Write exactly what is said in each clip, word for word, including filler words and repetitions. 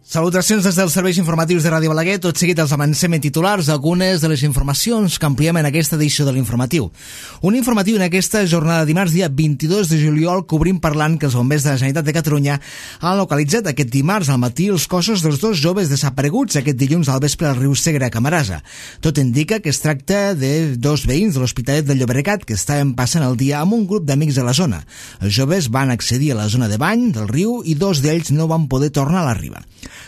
Salutacions des dels serveis informatius de Ràdio Balaguer. Tot seguit els avancem en titulars algunes de les informacions que ampliem en aquesta edició de l'informatiu. Un informatiu en aquesta jornada de dimarts, dia vint-i-dos de juliol, que obrim parlant que els bombers de la Generalitat de Catalunya han localitzat aquest dimarts al matí els cossos dels dos joves desapareguts aquest dilluns al vespre al riu Segre a Camarasa. Tot indica que es tracta de dos veïns de l'Hospitalet de Llobregat que estaven passant el dia amb un grup d'amics de la zona. Els joves van accedir a la zona de bany del riu i dos d'ells no van poder tornar a la riba.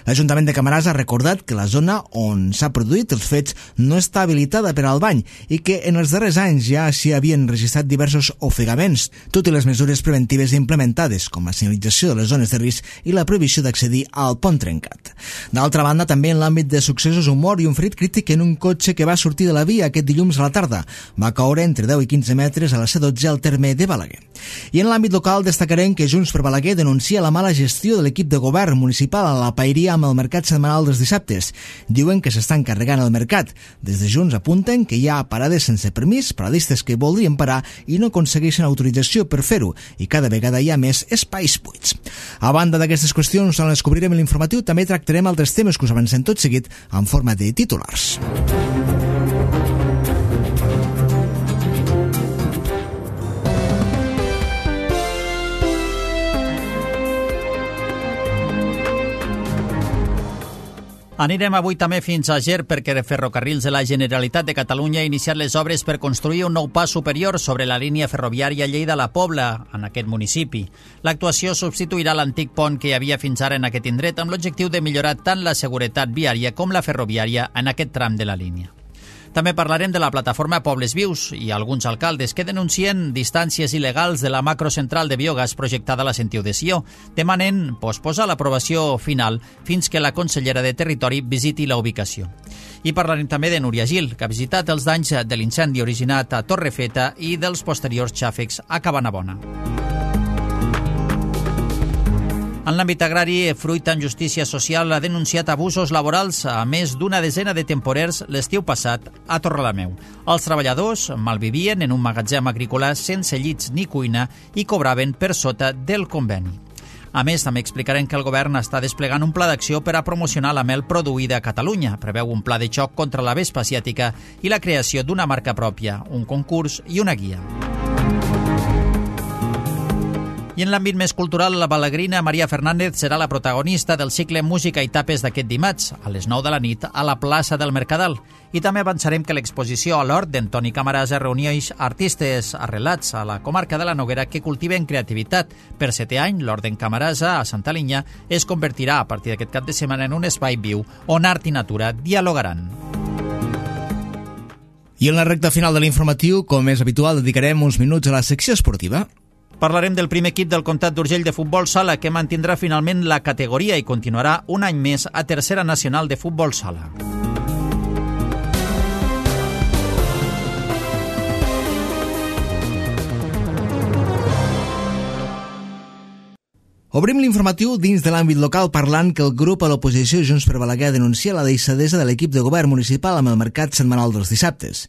L'Ajuntament de Camarasa ha recordat que la zona on s'ha produït els fets no està habilitada per al bany i que en els darrers anys ja s'hi havien registrat diversos ofegaments, tot i les mesures preventives implementades, com la senyalització de les zones de risc i la prohibició d'accedir al pont trencat. D'altra banda, també en l'àmbit de successos, un mort i un ferit crític en un cotxe que va sortir de la via aquest dilluns a la tarda. Va caure entre deu i quinze metres a la C dotze al terme de Balaguer. I en l'àmbit local destacarem que Junts per Balaguer denuncia la mala gestió de l'equip de govern municipal a la Paeria amb el mercat setmanal dels dissabtes. Diuen que s'estan carregant el mercat. Des de Junts apunten que hi ha parades sense permís, paradistes que voldrien parar i no aconsegueixen autorització per fer-ho, i cada vegada hi ha més espais buits. A banda d'aquestes qüestions, on les cobrirem en l'informatiu, també tractarem altres temes que us avancem tot seguit en forma de titulars. Anirem avui també fins a Ger perquè Ferrocarrils de la Generalitat de Catalunya ha iniciat les obres per construir un nou pas superior sobre la línia ferroviària Lleida-La Pobla, en aquest municipi. L'actuació substituirà l'antic pont que hi havia fins ara en aquest indret amb l'objectiu de millorar tant la seguretat viària com la ferroviària en aquest tram de la línia. També parlarem de la plataforma Pobles Vius i alguns alcaldes que denuncien distàncies il·legals de la macrocentral de biogàs projectada a la Sentiu de Sió, demanant posposar l'aprovació final fins que la consellera de Territori visiti la ubicació. I parlarem també de Núria Gil, que ha visitat els danys de l'incendi originat a Torrefeta i dels posteriors xàfecs a Cabanabona. En l'àmbit agrari, Fruit en Justícia Social ha denunciat abusos laborals a més d'una desena de temporers l'estiu passat a Torrelameu. Els treballadors malvivien en un magatzem agrícola sense llits ni cuina i cobraven per sota del conveni. A més, també explicarem que el govern està desplegant un pla d'acció per a promocionar la mel produïda a Catalunya. Preveu un pla de xoc contra la vespa asiàtica i la creació d'una marca pròpia, un concurs i una guia. I en l'àmbit més cultural, la balagrina Maria Fernández serà la protagonista del cicle Música i Tapes d'aquest dimarts, a les nou de la nit, a la plaça del Mercadal. I també avançarem que l'exposició a l'Hort d'Antoni Camarasa reuneix artistes arrelats a la comarca de la Noguera que cultiven creativitat. Per setè any, l'Hort d'en Camarasa, a Santa Linya, es convertirà a partir d'aquest cap de setmana en un espai viu on art i natura dialogaran. I en la recta final de l'informatiu, com és habitual, dedicarem uns minuts a la secció esportiva. Parlarem del primer equip del Comtat d'Urgell de futbol sala que mantindrà finalment la categoria i continuarà un any més a Tercera Nacional de Futbol Sala. Obrim l'informatiu dins de l'àmbit local parlant que el grup a l'oposició Junts per Balaguer denuncia la deixadesa de l'equip de govern municipal amb el mercat setmanal dels dissabtes.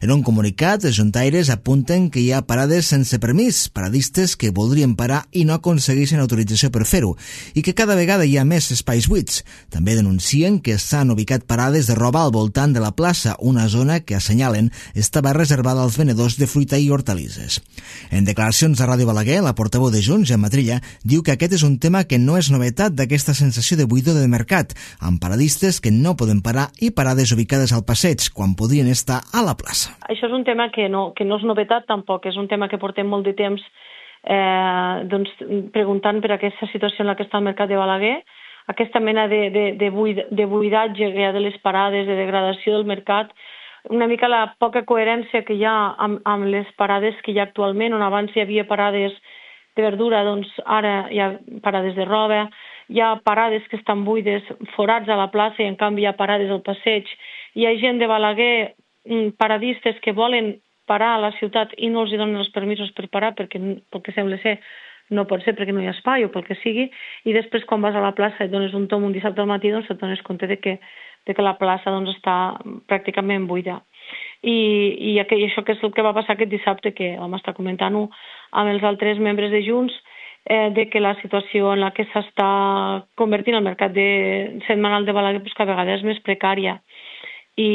En un comunicat, els juntaires apunten que hi ha parades sense permís, paradistes que voldrien parar i no aconsegueixen autorització per fer-ho, i que cada vegada hi ha més espais buits. També denuncien que s'han ubicat parades de roba al voltant de la plaça, una zona que assenyalen estava reservada als venedors de fruita i hortalisses. En declaracions a Ràdio Balaguer, la portaveu de Junts, Gemma Trilla, diu que aquest és un tema que no és novetat d'aquesta sensació de buidor de mercat, amb paradistes que no poden parar i parades ubicades al passeig, quan podrien estar a la plaça. Això és un tema que no, que no és novetat tampoc, és un tema que portem molt de temps eh, doncs, preguntant per aquesta situació en la que està el mercat de Balaguer, aquesta mena de, de, de, buid, de buidatge que hi ha de les parades, de degradació del mercat, una mica la poca coherència que hi ha amb, amb les parades que hi ha actualment, on abans hi havia parades de verdura, doncs ara hi ha parades de roba, hi ha parades que estan buides, forats a la plaça i en canvi hi ha parades al passeig. Hi ha gent de Balaguer, paradistes que volen parar a la ciutat i no els donen els permisos per parar perquè, perquè sembla ser no pot ser perquè no hi ha espai o pel que sigui, i després quan vas a la plaça i dones un tom un dissabte al matí, doncs et dones compte de que, de que la plaça doncs, està pràcticament buida. I, i això que és el que va passar aquest dissabte, que vam estar comentant-ho amb els altres membres de Junts, eh, de que la situació en la que s'està convertint el mercat de setmanal de Balaguer pues, cada vegada és més precària. I,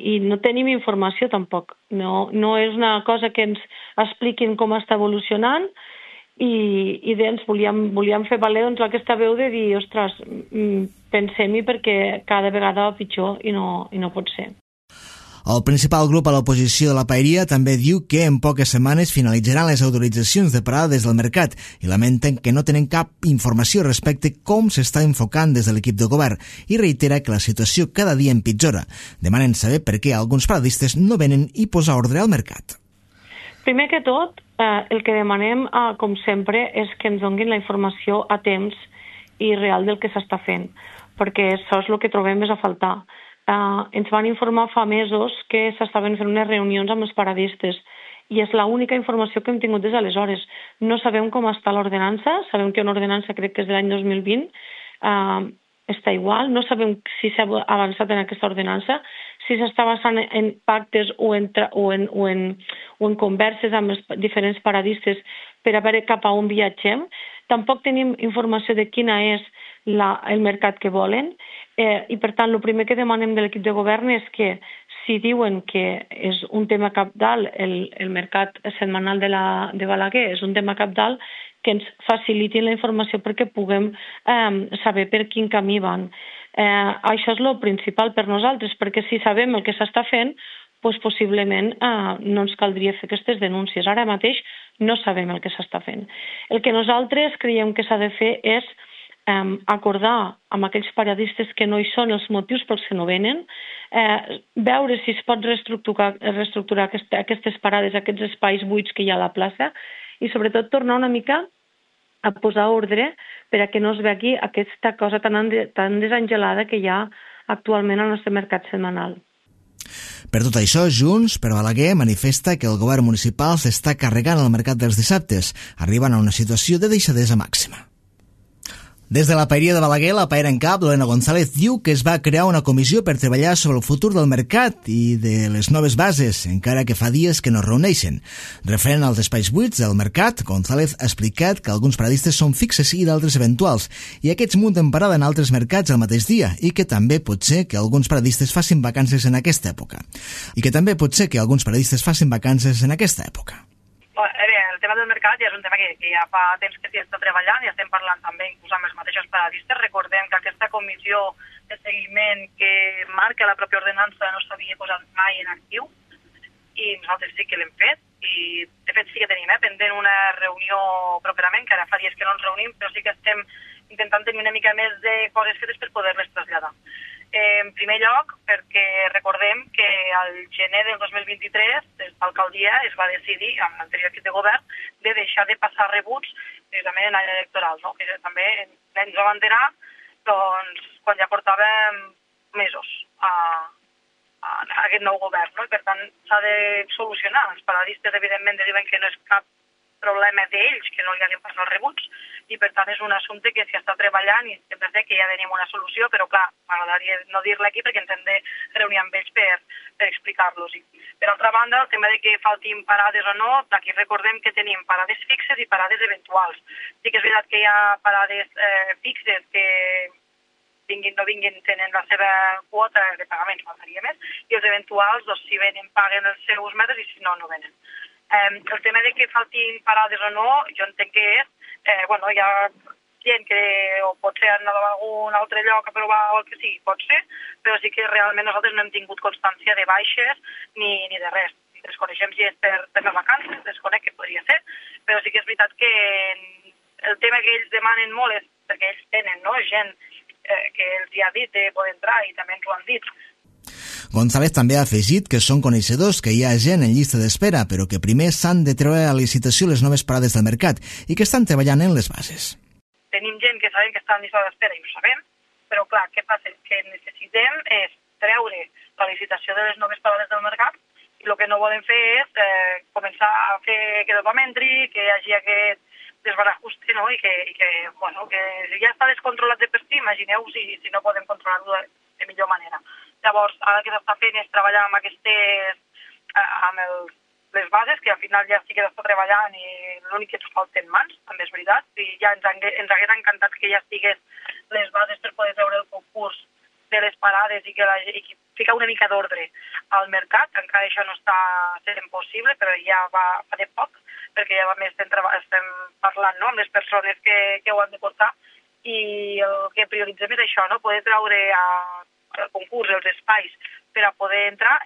i no tenim informació tampoc. No, no és una cosa que ens expliquin com està evolucionant i, i doncs volíem, volíem fer valer doncs, aquesta veu de dir, ostres, pensem-hi perquè cada vegada va pitjor i no, i no pot ser. El principal grup a l'oposició de la Paeria també diu que en poques setmanes finalitzaran les autoritzacions de parada des del mercat i lamenten que no tenen cap informació respecte com s'està enfocant des de l'equip de govern i reitera que la situació cada dia empitjora. Demanen saber per què alguns paradistes no venen i posar ordre al mercat. Primer que tot, eh, el que demanem, eh, com sempre, és que ens donin la informació a temps i real del que s'està fent, perquè això és el que trobem més a faltar. Uh, ens van informar fa mesos que s'estaven fent unes reunions amb els paradistes i és l'única informació que hem tingut des d'aleshores. No sabem com està l'ordenança, sabem que una ordenança crec que és de l'any dos mil vint, uh, està igual, no sabem si s'ha avançat en aquesta ordenança, si s'està basant en pactes o en, o, en, o, en, o en converses amb els diferents paradistes per a veure cap a on viatgem. Tampoc tenim informació de quina és la, el mercat que volen. Eh, I per tant, el primer que demanem de l'equip de govern és que si diuen que és un tema cabdal, el, el mercat setmanal de, la, de Balaguer és un tema cabdal, que ens facilitin la informació perquè puguem eh, saber per quin camí van. Eh, això és el principal per nosaltres, perquè si sabem el que s'està fent, doncs possiblement eh, no ens caldria fer aquestes denúncies. Ara mateix no sabem el que s'està fent. El que nosaltres creiem que s'ha de fer és Um, acordar amb aquells paradistes que no hi són els motius pels que no venen, eh, veure si es pot reestructurar, reestructurar aquest, aquestes parades, aquests espais buits que hi ha a la plaça i sobretot tornar una mica a posar ordre per a que no es vegi aquesta cosa tan, tan desangelada que hi ha actualment al nostre mercat setmanal. Per tot això, Junts per Balaguer manifesta que el govern municipal s'està carregant el mercat dels dissabtes, arribant a una situació de deixadesa màxima. Des de la Paeria de Balaguer, la paera en cap, Lorena González, diu que es va crear una comissió per treballar sobre el futur del mercat i de les noves bases, encara que fa dies que no es reuneixen. Referent als espais buits del mercat, González ha explicat que alguns paradistes són fixes i d'altres eventuals, i aquests munten parada en altres mercats el mateix dia, i que també pot ser que alguns paradistes facin vacances en aquesta època. I que també pot ser que alguns paradistes facin vacances en aquesta època. El tema del mercat ja és un tema que, que ja fa temps que s'hi està treballant i estem parlant també inclús amb els mateixos paradistes. Recordem que aquesta comissió de seguiment que marca la pròpia ordenança no s'havia posat mai en actiu i nosaltres sí que l'hem fet i de fet sí que tenim eh, pendent una reunió properament, que ara fa dies que no ens reunim, però sí que estem intentant tenir una mica més de coses fetes per poder-les traslladar. Eh, en primer lloc, perquè recordem que al gener del dos mil vint-i-tres l'alcaldia es va decidir, amb l'anterior equip de govern, de deixar de passar rebuts precisament en l'any electoral, no? Que també ens va abanderar doncs, quan ja portàvem mesos a, a, a aquest nou govern, no? I per tant s'ha de solucionar. Els paradistes evidentment diuen que no és cap problema d'ells que no li hagin passat els rebuts i per tant és un assumpte que s'hi està treballant i sempre sé que ja tenim una solució, però clar, m'agradaria no dir-la aquí perquè ens hem de reunir amb ells per, per explicar-los. Per altra banda, el tema de que faltin parades o no, aquí recordem que tenim parades fixes i parades eventuals. Sí que és veritat que hi ha parades eh, fixes que vinguin no vinguin tenen la seva quota de pagaments, faltaria més, i els eventuals, doncs, si venen paguen els seus metres i si no, no venen. Eh, el tema de que faltin parades o no, jo entenc que és, eh, bueno, hi ha gent que o potser han anat a algun altre lloc a provar o el que sigui, pot ser, però sí que realment nosaltres no hem tingut constància de baixes ni, ni de res. Desconeixem si és per, per les vacances, desconec que podria ser, però sí que és veritat que el tema que ells demanen molt és perquè ells tenen no, gent eh, que els hi ha dit de poder entrar i també ens ho han dit. González també ha afegit que són coneixedors que hi ha gent en llista d'espera, però que primer s'han de treure a licitació les noves parades del mercat i que estan treballant en les bases. Tenim gent que sabem que està en llista d'espera i ho sabem, però clar, què passa? Que necessitem és treure la licitació de les noves parades del mercat i el que no volem fer és eh, començar a fer que tothom entri, que hi hagi aquest desbarajuste, no? I que, i que, bueno, que ja està descontrolat de per si, imagineu si, si no podem controlar-ho de, de millor manera. Llavors, ara el que s'està fent és treballar amb aquestes, amb els, les bases, que al final ja sí que està treballant i l'únic que ens falten mans, també és veritat, i ja ens, ens hagués encantat que ja estigués les bases per poder treure el concurs de les parades i que, la, i que ficar una mica d'ordre al mercat. Encara això no està sent possible, però ja va, fa de poc, perquè ja més estem, estem parlant, no?, amb les persones que, que ho han de portar, i el que prioritzem és això, no?, poder treure al concurs els espais per a poder entrar.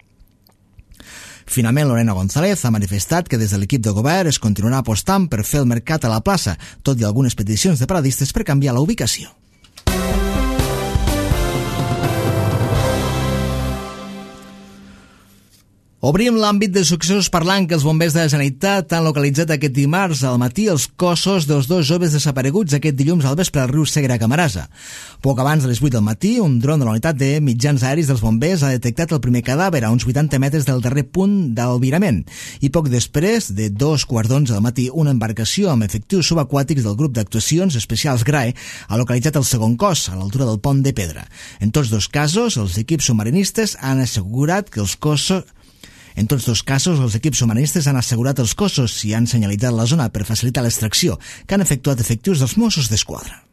Finalment, Lorena González ha manifestat que des de l'equip de govern es continuarà apostant per fer el mercat a la plaça, tot i algunes peticions de paradistes per canviar la ubicació. Obrim l'àmbit de successos parlant que els bombers de la Generalitat han localitzat aquest dimarts al matí els cossos dels dos joves desapareguts aquest dilluns al vespre al riu Segre a Camarasa. Poc abans de les vuit del matí, un dron de la unitat de mitjans aeris dels bombers ha detectat el primer cadàver a uns vuitanta metres del darrer punt d'albirament. I poc després, de dos quarts d'onze del matí, una embarcació amb efectius subaquàtics del grup d'actuacions especials G R A E ha localitzat el segon cos, a l'altura del pont de Pedra. En tots dos casos, els equips submarinistes han assegurat que els cossos En tots dos casos, els equips submarinistes han assegurat els cossos i han senyalitzat la zona per facilitar l'extracció, que han efectuat efectius dels Mossos d'Esquadra.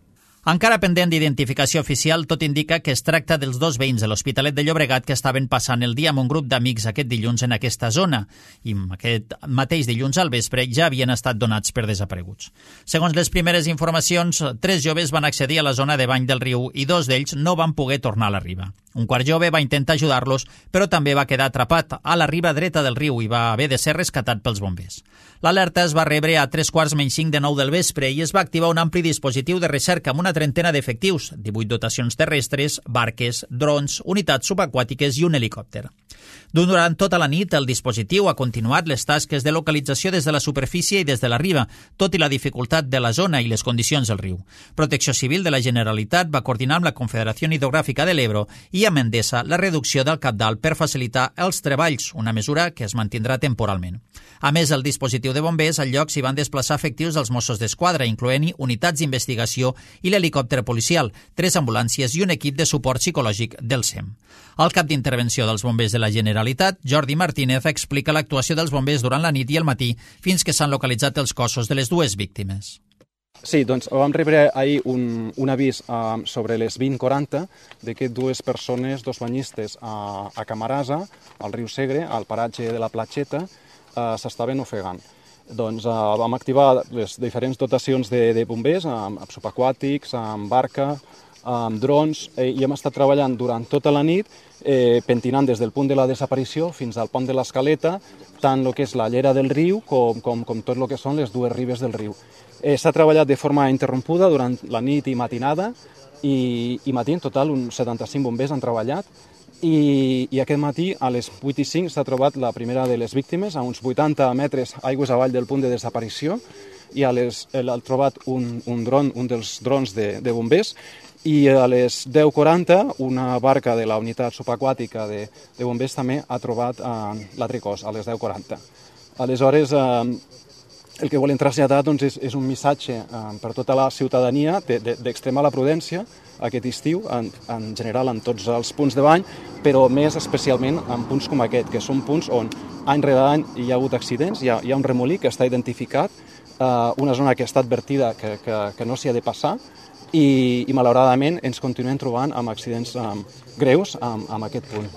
Encara pendent d'identificació oficial, tot indica que es tracta dels dos veïns de l'Hospitalet de Llobregat que estaven passant el dia amb un grup d'amics aquest dilluns en aquesta zona i aquest mateix dilluns al vespre ja havien estat donats per desapareguts. Segons les primeres informacions, tres joves van accedir a la zona de bany del riu i dos d'ells no van poder tornar a la riba. Un quart jove va intentar ajudar-los, però també va quedar atrapat a la riba dreta del riu i va haver de ser rescatat pels bombers. L'alerta es va rebre a tres quarts menys cinc de nou del vespre i es va activar un ampli dispositiu de recerca amb una trentena d'efectius, divuit dotacions terrestres, barques, drons, unitats subaquàtiques i un helicòpter. Durant tota la nit, el dispositiu ha continuat les tasques de localització des de la superfície i des de la riba, tot i la dificultat de la zona i les condicions del riu. Protecció Civil de la Generalitat va coordinar amb la Confederació Hidrogràfica de l'Ebro i amb Endesa la reducció del cabdal per facilitar els treballs, una mesura que es mantindrà temporalment. A més, el dispositiu de bombers al lloc s'hi van desplaçar efectius dels Mossos d'Esquadra, incloent-hi unitats d'investigació i l'helicòpter policial, tres ambulàncies i un equip de suport psicològic del S E M. El cap d'intervenció dels bombers de la Generalitat, Jordi Martínez, explica l'actuació dels bombers durant la nit i el matí fins que s'han localitzat els cossos de les dues víctimes. Sí, doncs vam rebre ahir un, un avís uh, sobre les vint quaranta de que dues persones, dos banyistes a, a Camarasa, al riu Segre, al paratge de la Platxeta, uh, s'estaven ofegant. Doncs uh, vam activar les diferents dotacions de, de bombers, amb, amb subaquàtics, amb barca, amb drons, eh, i hem estat treballant durant tota la nit, eh, pentinant des del punt de la desaparició fins al pont de l'Escaleta, tant el que és la llera del riu com, com, com tot el que són les dues ribes del riu. Eh, S'ha treballat de forma interrompuda durant la nit i matinada, i, i matí en total uns setanta-cinc bombers han treballat, i, i aquest matí a les vuit i cinc s'ha trobat la primera de les víctimes a uns vuitanta metres aigües avall del punt de desaparició, i a les, ha trobat un, un dron, un dels drons de, de bombers, i a les deu quaranta una barca de la unitat subaquàtica de, de bombers també ha trobat eh, l'altre cos, a les deu quaranta. Aleshores, eh, el que volem traslladar doncs, és, és un missatge eh, per tota la ciutadania d'extremar la prudència aquest estiu, en, en general en tots els punts de bany, però més especialment en punts com aquest, que són punts on any rere any hi ha hagut accidents, hi ha, hi ha un remolí que està identificat, eh, una zona que està advertida que, que, que no s'hi ha de passar, i, i malauradament ens continuem trobant amb accidents um, greus amb, amb aquest punt.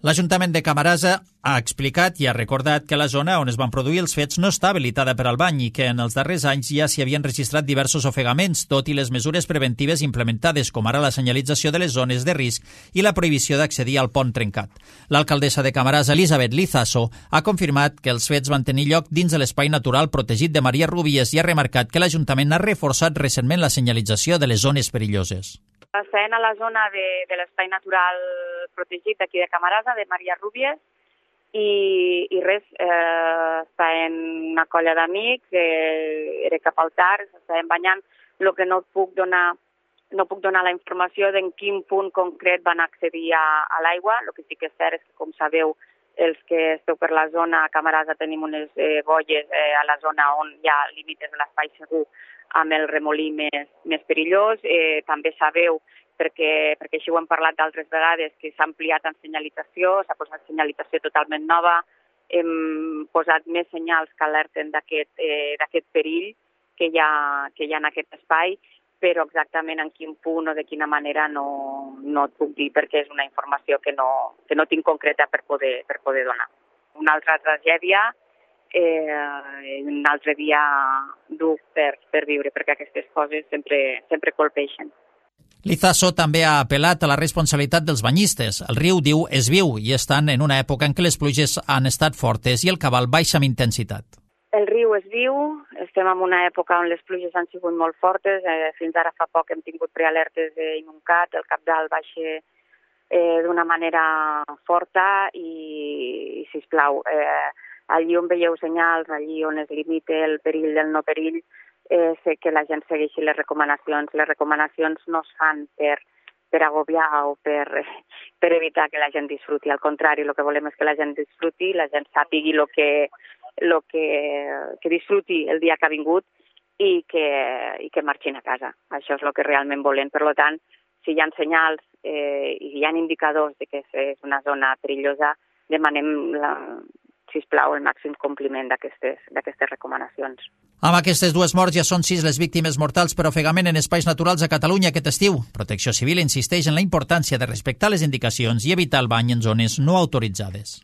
L'Ajuntament de Camarasa ha explicat i ha recordat que la zona on es van produir els fets no està habilitada per al bany i que en els darrers anys ja s'hi havien registrat diversos ofegaments, tot i les mesures preventives implementades, com ara la senyalització de les zones de risc i la prohibició d'accedir al pont trencat. L'alcaldessa de Camarasa, Elisabet Lizaso, ha confirmat que els fets van tenir lloc dins de l'espai natural protegit de Maria Rúbies i ha remarcat que l'Ajuntament ha reforçat recentment la senyalització de les zones perilloses. Estem a la zona de, de l'espai natural protegit d'aquí de Camarasa, de Maria Rúbies, i, i res, eh, està en una colla d'amics, eh, era cap al tard, estàvem banyant. El que no puc donar, no puc donar la informació d'en quin punt concret van accedir a, a l'aigua. El que sí que és cert és que, com sabeu, els que esteu per la zona, a Camarasa tenim unes eh, boies eh, a la zona on hi ha límits de l'espai segur amb el remolí més, més perillós. Eh, també sabeu, perquè, perquè així ho hem parlat d'altres vegades, que s'ha ampliat en senyalització, s'ha posat senyalització totalment nova, hem posat més senyals que alerten d'aquest eh, d'aquest perill que hi, ha, que hi ha en aquest espai, però exactament en quin punt o de quina manera no, no et puc dir perquè és una informació que no, que no tinc concreta per poder, per poder donar. Una altra tragèdia, eh, un altre dia dur per, per viure, perquè aquestes coses sempre, sempre colpeixen. Lizaso també ha apel·lat a la responsabilitat dels banyistes. El riu, diu, és viu i estan en una època en què les pluges han estat fortes i el cabal baixa amb intensitat. El riu és viu, estem en una època on les pluges han sigut molt fortes, eh, fins ara fa poc hem tingut prealertes d'inundat, el cabdal baixa eh, d'una manera forta i, i sisplau, eh, allí on veieu senyals, allí on es limita el perill del no perill, eh, sé que la gent segueixi les recomanacions. Les recomanacions no es fan per, per agobiar o per, per evitar que la gent disfruti. Al contrari, el que volem és que la gent disfruti, la gent sàpigui el que, lo que, que disfruti el dia que ha vingut i que, i que marxin a casa. Això és el que realment volem. Per tant, si hi ha senyals eh, i hi ha indicadors de que és una zona perillosa, demanem la, sisplau, el màxim compliment d'aquestes d'aquestes recomanacions. Amb aquestes dues morts ja són sis les víctimes mortals per ofegament en espais naturals a Catalunya aquest estiu. Protecció Civil insisteix en la importància de respectar les indicacions i evitar el bany en zones no autoritzades.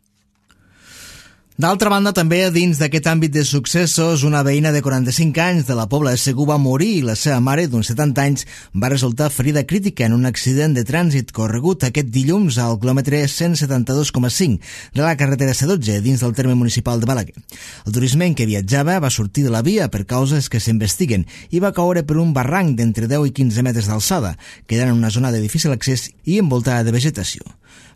D'altra banda, també dins d'aquest àmbit de successos, una veïna de quaranta-cinc anys de la Pobla de Segur va morir i la seva mare, d'uns setanta anys, va resultar ferida crítica en un accident de trànsit corregut aquest dilluns al quilòmetre cent setanta-dos coma cinc de la carretera C dotze dins del terme municipal de Balaguer. El turisme en què viatjava va sortir de la via per causes que s'investiguen i va caure per un barranc d'entre deu i quinze metres d'alçada, quedant en una zona de difícil accés i envoltada de vegetació.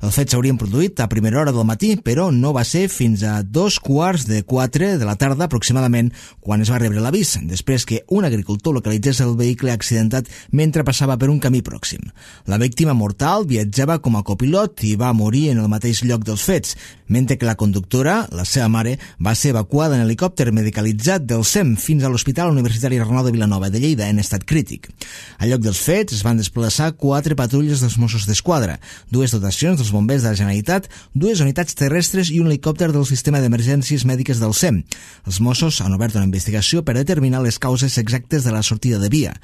Els fets s'haurien produït a primera hora del matí, però no va ser fins a dos quarts de quatre de la tarda aproximadament quan es va rebre l'avís, després que un agricultor localitzés el vehicle accidentat mentre passava per un camí pròxim. La víctima mortal viatjava com a copilot i va morir en el mateix lloc dels fets, mentre que la conductora, la seva mare, va ser evacuada en helicòpter medicalitzat del S E M fins a l'Hospital Universitari Arnau de Vilanova de Lleida en estat crític. Al lloc dels fets es van desplaçar quatre patrulles dels Mossos d'Esquadra, dues dotacions dels bombers de la Generalitat, dues unitats terrestres i un helicòpter del sistema d'emergències mèdiques del S E M. Els Mossos han obert una investigació per determinar les causes exactes de la sortida de via.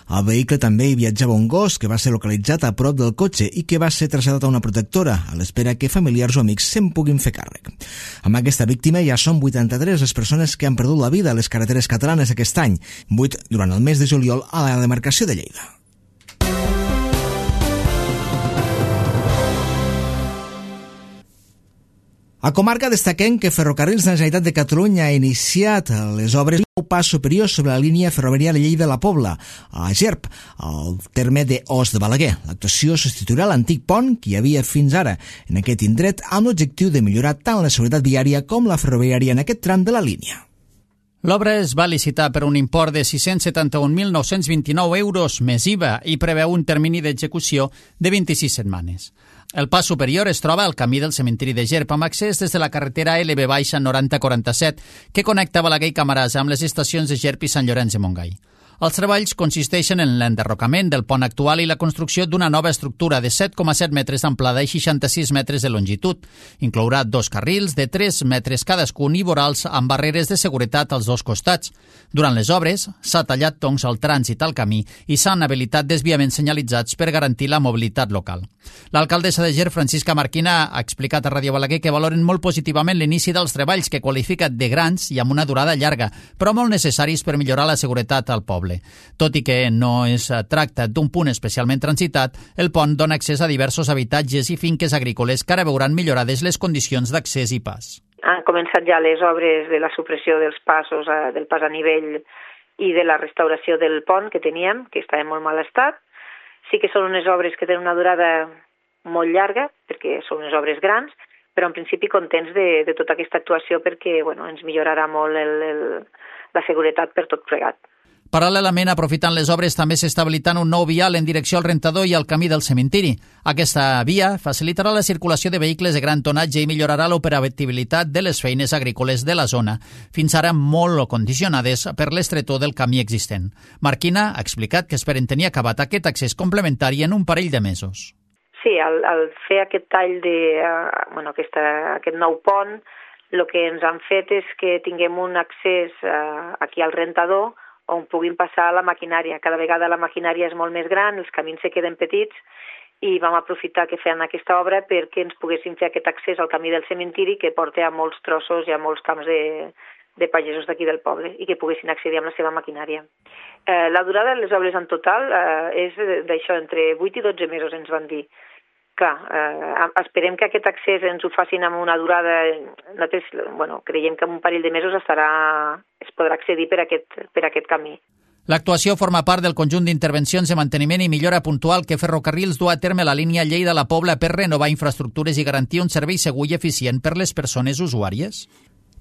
Al vehicle també hi viatjava un gos que va ser localitzat a prop del cotxe i que va ser traslladat a una protectora, a l'espera que familiars o amics se'n puguin fer càrrec. Amb aquesta víctima ja són vuitanta-tres les persones que han perdut la vida a les carreteres catalanes aquest any, vuit durant el mes de juliol a la demarcació de Lleida. A comarca destaquem que Ferrocarrils de la Generalitat de Catalunya ha iniciat les obres de nou pas superior sobre la línia ferroviària Lleida-La Pobla, a Gerp, al terme de Os de Balaguer. L'actuació substituirà l'antic pont que hi havia fins ara en aquest indret amb l'objectiu de millorar tant la seguretat viària com la ferroviària en aquest tram de la línia. L'obra es va licitar per un import de sis-cents setanta-un mil nou-cents vint-i-nou euros més I V A i preveu un termini d'execució de vint-i-sis setmanes. El pas superior es troba al camí del cementiri de Gerp amb accés des de la carretera L B noranta quaranta-set que connecta Balaguer i Camarasa amb les estacions de Gerp i Sant Llorenç de Montgai. Els treballs consisteixen en l'enderrocament del pont actual i la construcció d'una nova estructura de set coma set metres d'amplada i seixanta-sis metres de longitud. Inclourà dos carrils de tres metres cadascun i vorals amb barreres de seguretat als dos costats. Durant les obres s'ha tallat toncs al trànsit al camí i s'han habilitat desviaments senyalitzats per garantir la mobilitat local. L'alcaldessa de Gerp, Francisca Marquina, ha explicat a Ràdio Balaguer que valoren molt positivament l'inici dels treballs que qualifica de grans i amb una durada llarga, però molt necessaris per millorar la seguretat al poble. Tot i que no es tracta d'un punt especialment transitat, el pont dona accés a diversos habitatges i finques agrícoles que ara veuran millorades les condicions d'accés i pas. Han començat ja les obres de la supressió dels passos, del pas a nivell i de la restauració del pont que teníem, que estava en molt mal estat. Sí que són unes obres que tenen una durada molt llarga, perquè són unes obres grans, però en principi contents de, de tota aquesta actuació perquè bueno, ens millorarà molt el, el, la seguretat per tot plegat. Paral·lelament, aprofitant les obres, també s'està habilitant un nou vial en direcció al rentador i al camí del cementiri. Aquesta via facilitarà la circulació de vehicles de gran tonatge i millorarà l'operabilitat de les feines agrícoles de la zona, fins ara molt condicionades per l'estretor del camí existent. Marquina ha explicat que esperen tenir acabat aquest accés complementari en un parell de mesos. Sí, al, al fer aquest tall de, uh, bueno, aquesta, aquest nou pont, El que ens han fet és que tinguem un accés eh, aquí al rentador on puguin passar la maquinària. Cada vegada la maquinària és molt més gran, els camins se queden petits, i vam aprofitar que feien aquesta obra perquè ens poguessin fer aquest accés al camí del cementiri que porta a molts trossos i a molts camps de, de pagesos d'aquí del poble i que poguessin accedir amb la seva maquinària. Eh, la durada de les obres en total eh, és d'això, entre vuit i dotze mesos ens van dir. Clar, eh, esperem que aquest accés ens ho facin amb una durada, nosaltres, bueno, creiem que en un parell de mesos estarà, es podrà accedir per aquest, per aquest camí. L'actuació forma part del conjunt d'intervencions de manteniment i millora puntual que Ferrocarrils du a terme a la línia Lleida-La Pobla per renovar infraestructures i garantir un servei segur i eficient per les persones usuàries.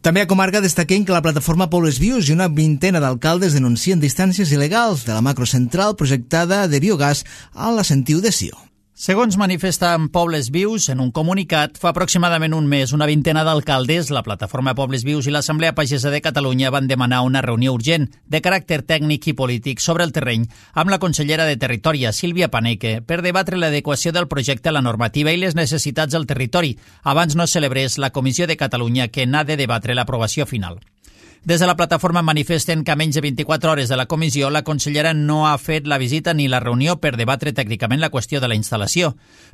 També a comarca destaquem que la plataforma Pobles Vius i una vintena d'alcaldes denuncien distàncies il·legals de la macrocentral projectada de biogàs a la Sentiu de Sió. Segons manifesten Pobles Vius, en un comunicat, fa aproximadament un mes una vintena d'alcaldes, la plataforma Pobles Vius i l'Assemblea Pagesa de Catalunya van demanar una reunió urgent de caràcter tècnic i polític sobre el terreny amb la consellera de Territori, Sílvia Paneque, per debatre l'adequació del projecte a la normativa i les necessitats del territori, abans no celebrés la Comissió de Catalunya que n'ha de debatre l'aprovació final. Des de la plataforma manifesten que a menys de vint-i-quatre hores de la comissió la consellera no ha fet la visita ni la reunió per debatre tècnicament la qüestió de la instal·lació.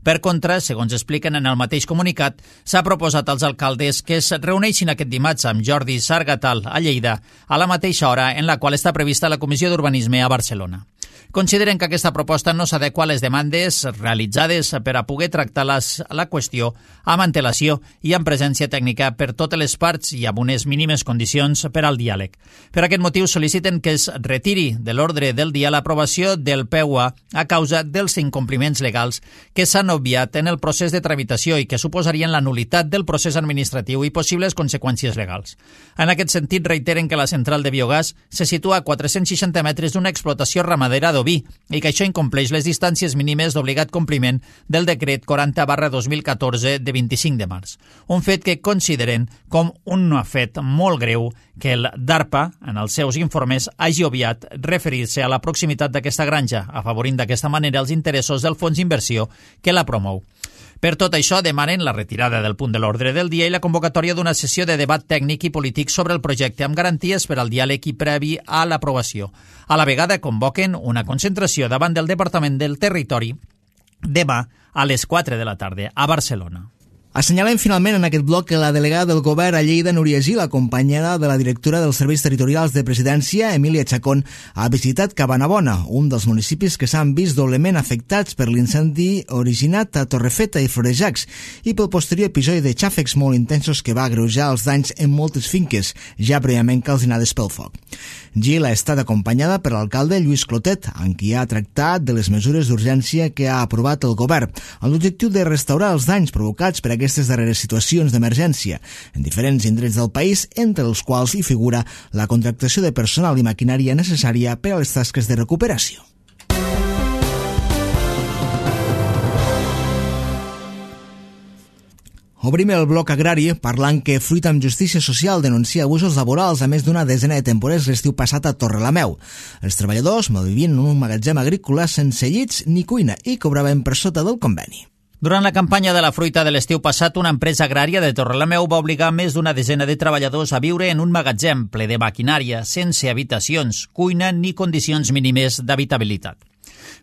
Per contra, segons expliquen en el mateix comunicat, s'ha proposat als alcaldes que es reuneixin aquest dimarts amb Jordi Sargatal a Lleida a la mateixa hora en la qual està prevista la Comissió d'Urbanisme a Barcelona. Consideren que aquesta proposta no s'adequa a les demandes realitzades per a poder tractar les, la qüestió amb antelació i amb presència tècnica per totes les parts i amb unes mínimes condicions per al diàleg. Per aquest motiu sol·liciten que es retiri de l'ordre del dia l'aprovació del P U A a causa dels incompliments legals que s'han obviat en el procés de tramitació i que suposarien la nulitat del procés administratiu i possibles conseqüències legals. En aquest sentit, reiteren que la central de biogàs se situa a quatre-cents seixanta metres d'una explotació ramadera d'oví i que això incompleix les distàncies mínimes d'obligat compliment del decret quaranta barra dos mil catorze de vint-i-cinc de març. Un fet que consideren com un fet molt greu que el DARPA, en els seus informes, hagi obviat referir-se a la proximitat d'aquesta granja, afavorint d'aquesta manera els interessos del fons d'inversió que la promou. Per tot això, demanen la retirada del punt de l'ordre del dia i la convocatòria d'una sessió de debat tècnic i polític sobre el projecte amb garanties per al diàleg i previ a l'aprovació. A la vegada, convoquen una concentració davant del Departament del Territori demà a les quatre de la tarda a Barcelona. Assenyalem finalment en aquest bloc que la delegada del govern a Lleida, Núria Gil, acompanyada de la directora dels Serveis Territorials de Presidència, Emília Chacón, ha visitat Cabanabona, un dels municipis que s'han vist doblement afectats per l'incendi originat a Torrefeta i Florejacs i pel posterior episodi de xàfecs molt intensos que va agreujar els danys en moltes finques, ja prèviament calcinades pel foc. Gil ha estat acompanyada per l'alcalde Lluís Clotet, amb qui ha tractat de les mesures d'urgència que ha aprovat el govern, amb l'objectiu de restaurar els danys provocats per aquestes darreres situacions d'emergència en diferents indrets del país, entre els quals hi figura la contractació de personal i maquinària necessària per a les tasques de recuperació. Obrim el bloc agrari parlant que Fruit amb Justícia Social denuncia abusos laborals a més d'una desena de temporers l'estiu passat a Torrelameu. Els treballadors malvivien en un magatzem agrícola sense llits ni cuina i cobraven per sota del conveni. Durant la campanya de la fruita de l'estiu passat, una empresa agrària de Torrelameu va obligar més d'una desena de treballadors a viure en un magatzem ple de maquinària, sense habitacions, cuina ni condicions mínimes d'habitabilitat.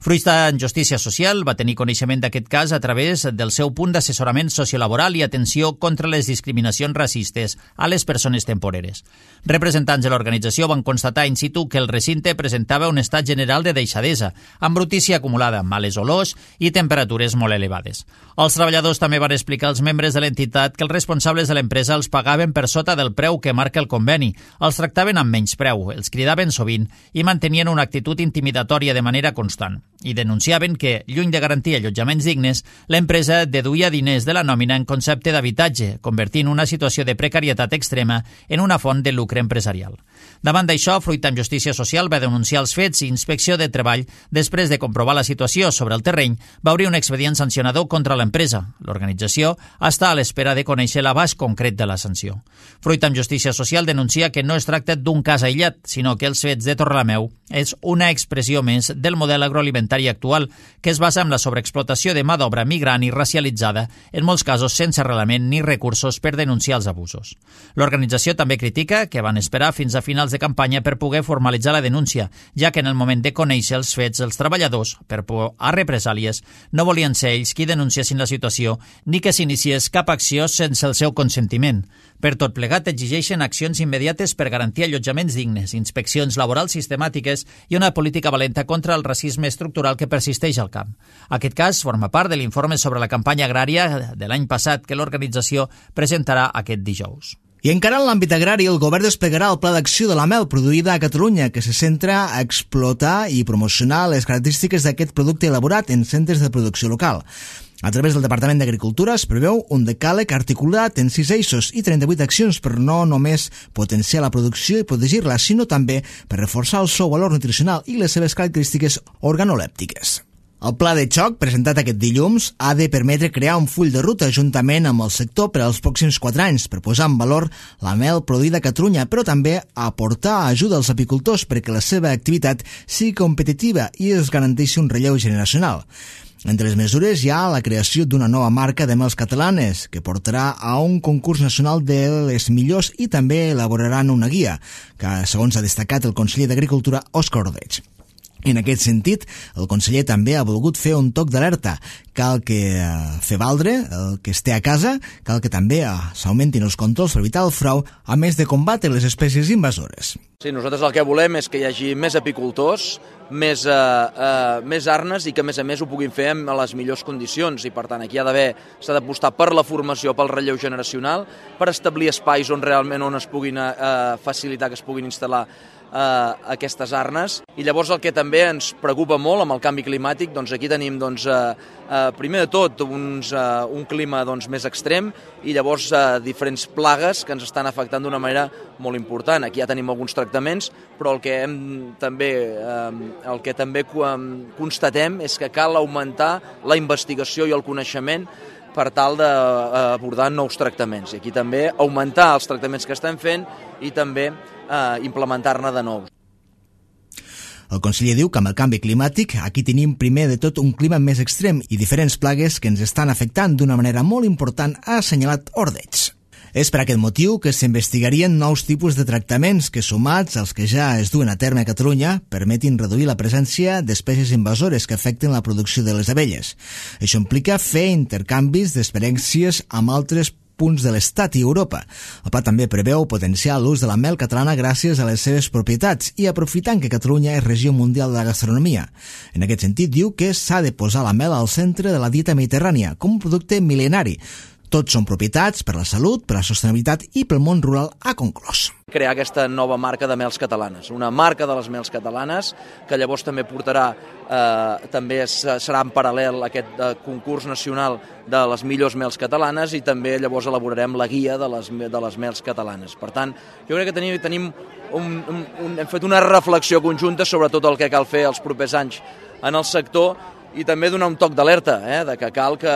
Fruit en Justícia Social va tenir coneixement d'aquest cas a través del seu punt d'assessorament sociolaboral i atenció contra les discriminacions racistes a les persones temporeres. Representants de l'organització van constatar in situ que el recinte presentava un estat general de deixadesa, amb brutícia acumulada, males olors i temperatures molt elevades. Els treballadors també van explicar als membres de l'entitat que els responsables de l'empresa els pagaven per sota del preu que marca el conveni, els tractaven amb menys preu, els cridaven sovint i mantenien una actitud intimidatòria de manera constant. I denunciaven que, lluny de garantir allotjaments dignes, l'empresa deduïa diners de la nòmina en concepte d'habitatge, convertint una situació de precarietat extrema en una font de lucre empresarial. Davant d'això, Fruit amb Justícia Social va denunciar els fets i Inspecció de Treball, després de comprovar la situació sobre el terreny, va obrir un expedient sancionador contra l'empresa. L'organització està a l'espera de conèixer l'abast concret de la sanció. Fruit amb Justícia Social denuncia que no es tracta d'un cas aïllat, sinó que els fets de Torrelameu és una expressió més del model agroalimentari alimentària actual, que es basa en la sobreexplotació de mà d'obra migrant i racialitzada, en molts casos sense arrelament ni recursos per denunciar els abusos. L'organització també critica que van esperar fins a finals de campanya per poder formalitzar la denúncia, ja que en el moment de conèixer els fets, els treballadors, per por a represàlies, no volien ser ells qui denunciessin la situació ni que s'iniciés cap acció sense el seu consentiment. Per tot plegat, exigeixen accions immediates per garantir allotjaments dignes, inspeccions laborals sistemàtiques i una política valenta contra el racisme estructural que persisteix al camp. Aquest cas forma part de l'informe sobre la campanya agrària de l'any passat que l'organització presentarà aquest dijous. I encara en l'àmbit agrari, el govern desplegarà el Pla d'Acció de la mel produïda a Catalunya, que se centra a explotar i promocionar les característiques d'aquest producte elaborat en centres de producció local. A través del Departament d'Agricultura es preveu un decàleg articulat en sis eixos i trenta-vuit accions per no només potenciar la producció i protegir-la, sinó també per reforçar el seu valor nutricional i les seves característiques organolèptiques. El pla de xoc, presentat aquest dilluns, ha de permetre crear un full de ruta juntament amb el sector per als pròxims quatre anys per posar en valor la mel produïda a Catalunya, però també aportar ajuda als apicultors perquè la seva activitat sigui competitiva i es garanteixi un relleu generacional. Entre les mesures hi ha la creació d'una nova marca de mels catalanes, que portarà a un concurs nacional de les millors i també elaboraran una guia, que segons ha destacat el conseller d'Agricultura, Òscar Ordeig. En aquest sentit, el conseller també ha volgut fer un toc d'alerta. Cal que eh, fer valdre el que es té a casa, cal que també eh, s'augmentin els controls per evitar el frau, a més de combatre les espècies invasores. Sí, nosaltres el que volem és que hi hagi més apicultors, més, eh, eh, més arnes i que a més a més ho puguin fer en les millors condicions i per tant aquí ha d'haver, s'ha d'apostar per la formació, pel relleu generacional, per establir espais on realment on es puguin eh, facilitar que es puguin instal·lar eh, aquestes arnes. I llavors el que també ens preocupa molt amb el canvi climàtic, doncs aquí tenim doncs, eh, eh, primer de tot uns, eh, un clima doncs, més extrem i llavors eh, diferents plagues que ens estan afectant d'una manera molt important. Aquí ja tenim alguns tractaments, però el que hem també eh, el que també constatem és que cal augmentar la investigació i el coneixement per tal d'abordar nous tractaments. I aquí també augmentar els tractaments que estem fent i també eh, implementar-ne de nous. El conseller diu que amb el canvi climàtic aquí tenim primer de tot un clima més extrem i diferents plagues que ens estan afectant d'una manera molt important, ha assenyalat Ordeig. És per aquest motiu que s'investigarien nous tipus de tractaments que, sumats als que ja es duen a terme a Catalunya, permetin reduir la presència d'espècies invasores que afecten la producció de les abelles. Això implica fer intercanvis d'experiències amb altres punts de l'Estat i Europa. El pla també preveu potenciar l'ús de la mel catalana gràcies a les seves propietats i aprofitant que Catalunya és regió mundial de la gastronomia. En aquest sentit, diu que s'ha de posar la mel al centre de la dieta mediterrània com un producte mil·lenari. Tots són propietats per la salut, per la sostenibilitat i pel món rural, ha conclòs. Crear aquesta nova marca de mels catalanes, una marca de les mels catalanes que llavors també portarà, eh, també serà en paral·lel a aquest eh, concurs nacional de les millors mels catalanes i també llavors elaborarem la guia de les, de les mels catalanes. Per tant, jo crec que tenim, tenim un, un, un, hem fet una reflexió conjunta sobre tot el que cal fer els propers anys en el sector i també donar un toc d'alerta, eh, de que cal que,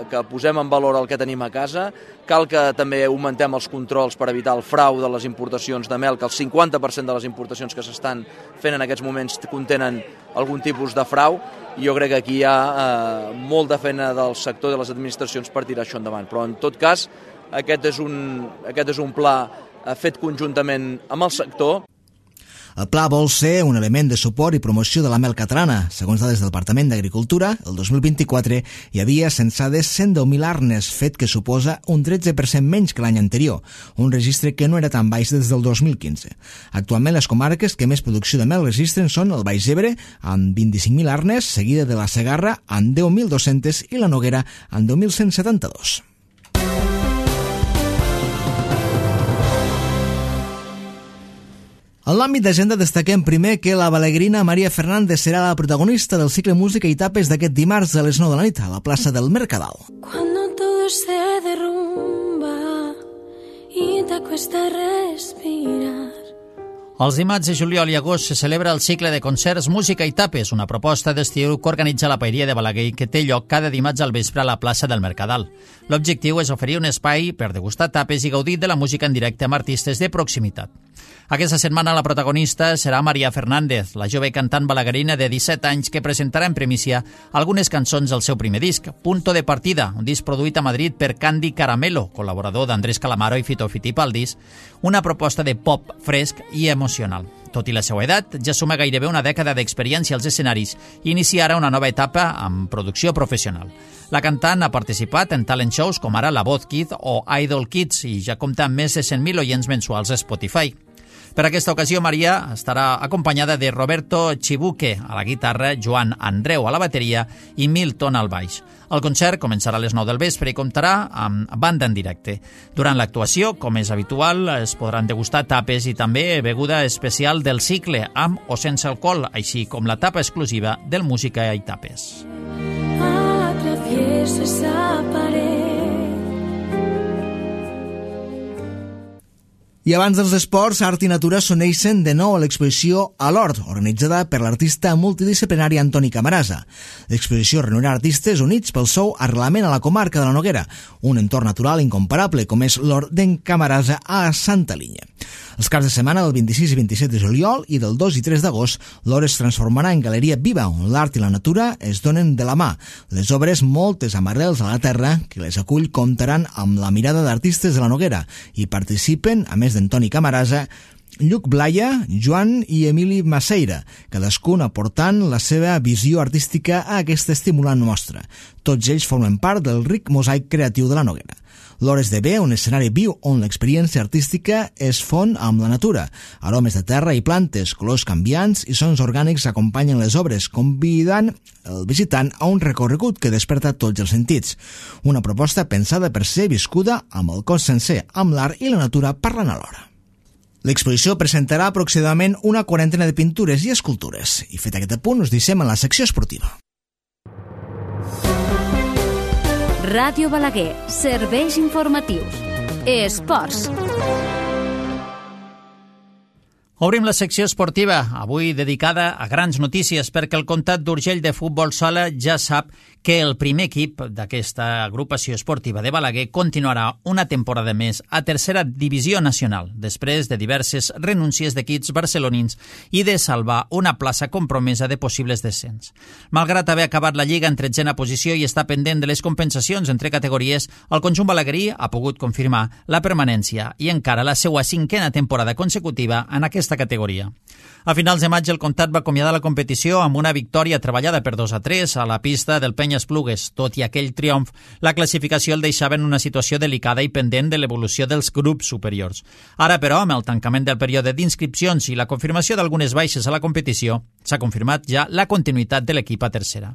que posem en valor el que tenim a casa, cal que també augmentem els controls per evitar el frau de les importacions de mel, que el cinquanta per cent de les importacions que s'estan fent en aquests moments contenen algun tipus de frau, i jo crec que aquí hi ha eh, molta feina del sector i de les administracions per tirar això endavant. Però en tot cas, aquest és un, aquest és un pla eh, fet conjuntament amb el sector. El pla vol ser un element de suport i promoció de la mel catalana. Segons dades del Departament d'Agricultura, el dos mil vint-i-quatre hi havia censades cent deu mil arnes, fet que suposa un tretze per cent menys que l'any anterior, un registre que no era tan baix des del dos mil quinze. Actualment les comarques que més producció de mel registren són el Baix Ebre, amb vint-i-cinc mil arnes, seguida de la Segarra, amb deu mil dos-cents, i la Noguera, amb deu mil cent setanta-dos. En l'àmbit d'agenda destaquem primer que la balegrina Maria Fernández serà la protagonista del cicle Música i Tapes d'aquest dimarts a les nou de la nit a la plaça del Mercadal. Cuando todo se derrumba y te cuesta respirar, Els dimarts de juliol i agost se celebra el cicle de concerts Música i Tapes, una proposta d'estiu que organitza la Paeria de Balaguer i que té lloc cada dimarts al vespre a la plaça del Mercadal. L'objectiu és oferir un espai per degustar tapes i gaudir de la música en directe amb artistes de proximitat. Aquesta setmana la protagonista serà Maria Fernández, la jove cantant balaguerina de disset anys que presentarà en primícia algunes cançons del seu primer disc, Punto de Partida, un disc produït a Madrid per Candy Caramelo, col·laborador d'Andrés Calamaro i Fito Fitipaldis, una proposta de pop fresc i emocional. Tot i la seva edat, ja suma gairebé una dècada d'experiència als escenaris i inicia ara una nova etapa amb producció professional. La cantant ha participat en talent shows com ara La Voz Kid o Idol Kids i ja compta amb més de cent mil oients mensuals a Spotify. Per aquesta ocasió, Maria estarà acompanyada de Roberto Chibuque a la guitarra, Joan Andreu a la bateria i Milton al baix. El concert començarà a les nou del vespre i comptarà amb banda en directe. Durant l'actuació, com és habitual, es podran degustar tapes i també beguda especial del cicle, amb o sense alcohol, així com la tapa exclusiva del Música i Tapes. Atraviesa esa pared. I abans dels esports, art i natura s'uneixen de nou a l'exposició A l'Hort, organitzada per l'artista multidisciplinari Antoni Camarasa. L'exposició reunirà artistes units pel seu arrelament a la comarca de la Noguera, un entorn natural incomparable com és l'Hort d'en Camarasa a Santa Linya. Els caps de setmana del vint-i-sis i vint-i-set de juliol i del dos i tres d'agost, l'Hort es transformarà en galeria viva, on l'art i la natura es donen de la mà. Les obres, moltes amb arrels a la terra, que les acull, comptaran amb la mirada d'artistes de la Noguera i participen, a més d'Antoni Camarasa, Lluc Blaya, Joan i Emili Maceira, cadascun aportant la seva visió artística a aquesta estimulant mostra. Tots ells formen part del ric mosaic creatiu de la Noguera. L'Hort esdevé un escenari viu on l'experiència artística es fon amb la natura. Aromes de terra i plantes, colors canviants i sons orgànics acompanyen les obres, convidant el visitant a un recorregut que desperta tots els sentits. Una proposta pensada per ser viscuda amb el cos sencer, amb l'art i la natura parlant alhora. L'exposició presentarà aproximadament una quarantena de pintures i escultures. I fet aquest apunt, us deixem en la secció esportiva. Ràdio Balaguer, serveis informatius. Esports. Obrim la secció esportiva, avui dedicada a grans notícies, perquè el Comtat d'Urgell de futbol sala ja sap que el primer equip d'aquesta agrupació esportiva de Balaguer continuarà una temporada més a tercera divisió nacional, després de diverses renúncies d'equips barcelonins i de salvar una plaça compromesa de possibles descens. Malgrat haver acabat la Lliga en tretzena posició i estar pendent de les compensacions entre categories, el conjunt balaguerí ha pogut confirmar la permanència i encara la seva cinquena temporada consecutiva en aquesta categoria. A finals de maig el Comtat va acomiadar la competició amb una victòria treballada per dos a tres a la pista del Penyes-Plugues. Tot i aquell triomf, la classificació el deixava en una situació delicada i pendent de l'evolució dels grups superiors. Ara, però, amb el tancament del període d'inscripcions i la confirmació d'algunes baixes a la competició, s'ha confirmat ja la continuïtat de l'equip a tercera.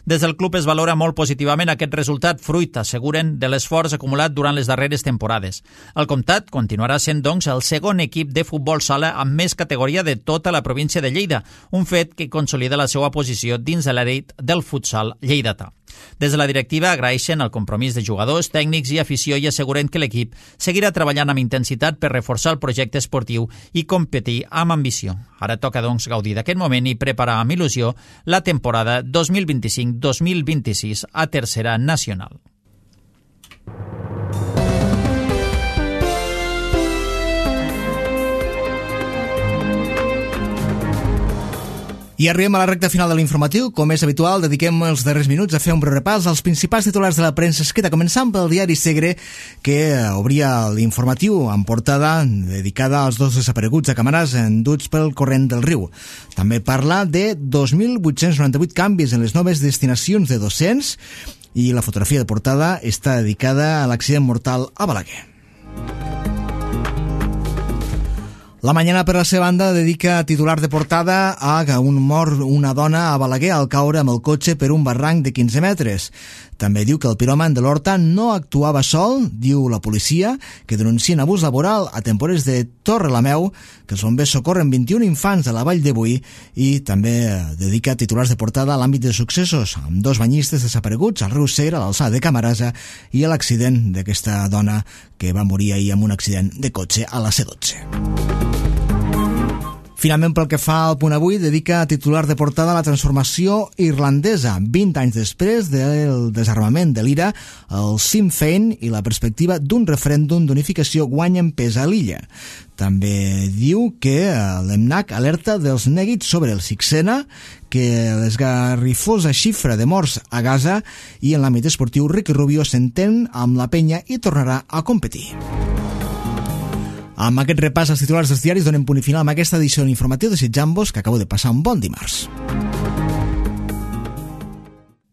Des del club es valora molt positivament aquest resultat, fruit, asseguren, de l'esforç acumulat durant les darreres temporades. El Comtat continuarà sent, doncs, el segon equip de futbol sala amb més categoria de tota la província de Lleida, un fet que consolida la seva posició dins de l'elit del futsal lleidatà. Des de la directiva agraeixen el compromís de jugadors, tècnics i afició i asseguren que l'equip seguirà treballant amb intensitat per reforçar el projecte esportiu i competir amb ambició. Ara toca, doncs, gaudir d'aquest moment i preparar amb il·lusió la temporada dos mil vint-i-cinc dos mil vint-i-sis a tercera nacional. I arribem a la recta final de l'informatiu. Com és habitual, dediquem els darrers minuts a fer un breu repàs als principals titulars de la premsa escrita, començant pel diari Segre, que obria l'informatiu en portada dedicada als dos desapareguts de Camarasa enduts pel corrent del riu. També parla de dos mil vuit-cents noranta-vuit canvis en les noves destinacions de docents i la fotografia de portada està dedicada a l'accident mortal a Balaguer. La Mañana, per la seva banda, dedica titular de portada a que un mor una dona a Balaguer al caure amb el cotxe per un barranc de quinze metres. També diu que el piròman de l'Horta no actuava sol, diu la policia, que denuncien abús laboral a temporers de Torrelameu, que els bombers socorren vint-i-un infants de la Vall de Boí, i també dedica titulars de portada a l'àmbit de successos, amb dos banyistes desapareguts al riu Segre, a l'alçada de Camarasa, i a l'accident d'aquesta dona que va morir ahir amb un accident de cotxe a la C dotze. Finalment, pel que fa al Punt Avui, dedica a titular de portada a la transformació irlandesa. vint anys després del desarmament de l'I R A, el Sinn Féin i la perspectiva d'un referèndum d'unificació guanyen pes a l'illa. També diu que l'EMNAC alerta dels nèguits sobre el Sixena, que l'esgarrifosa xifra de morts a Gaza, i en l'àmbit esportiu Ricky Rubio s'entén amb la penya i tornarà a competir. Amb aquest repàs als titulars dels diaris donem punt i final amb aquesta edició informativa, desitjant-vos que acabeu de passar un bon dimarts.